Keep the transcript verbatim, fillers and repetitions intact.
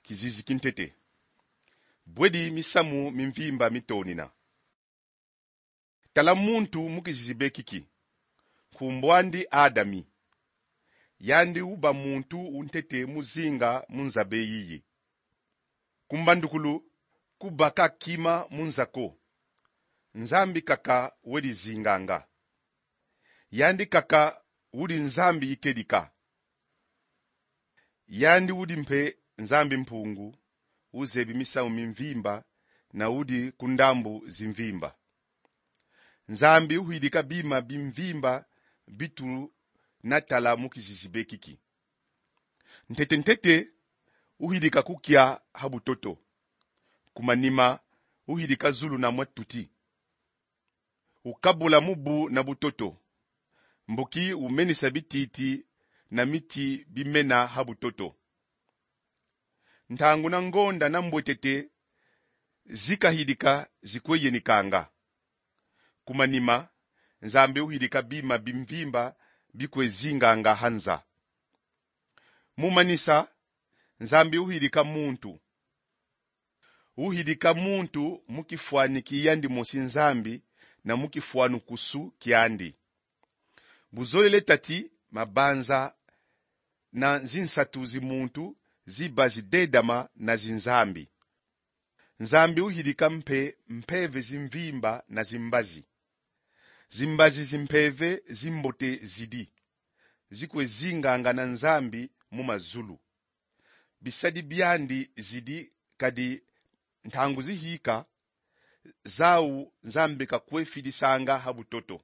Kizizi ki ntete. Bwedi misamu mi mvimba mitonina. Tala muntu mu kizizi be kiki. Nkumbu andi Adami. Yandi uba muntu u ntete mu zinga mu nza be yiyi. Ku mbandukulu, ku baka kima mu nza ko. Nzambi kaka wele zinganga. Yandi kaka udi Nzambi ikedika. Yandi udi mpe Nzambi Mpungu, uzebi misamu mi mvimba, na udi ku ndambu zi mvimba. Nzambi uhidika bima bi mvimba bi tuna tala mu kizizi be kiki. Ntete-ntete, uhidika ku kia ha butoto. Ku manima, uhidika zulu na mwa tuti. Ukabula mubu na butoto. Mbuki umenisa bititi na miti bi mena ha butoto. Ntangu na ngonda na mbwetete zi kahidika zi kwe yenikanga. Ku manima, Nzambi uhidika bima bi mvimba bi kwe zinganga ha nza. Mu manisa, Nzambi uhidika muntu. Uhidika muntu mu kifwani ki yandi mosi Nzambi na mu kifwanukusu kiandi. Buzolele tati mabanza na zinsatu zi muntu ziba zidedama na zinzambi. Nzambi uhidika mpe mpeve zi mvimba na zimbazi. Zimbazi zi mpeve zi mbote zidi. Zi kwe zinganga na Nzambi mu mazulu. Bisadi biandi zidi, kadi ntangu zihika, zau Nzambi ka kwe fidisanga ha butoto.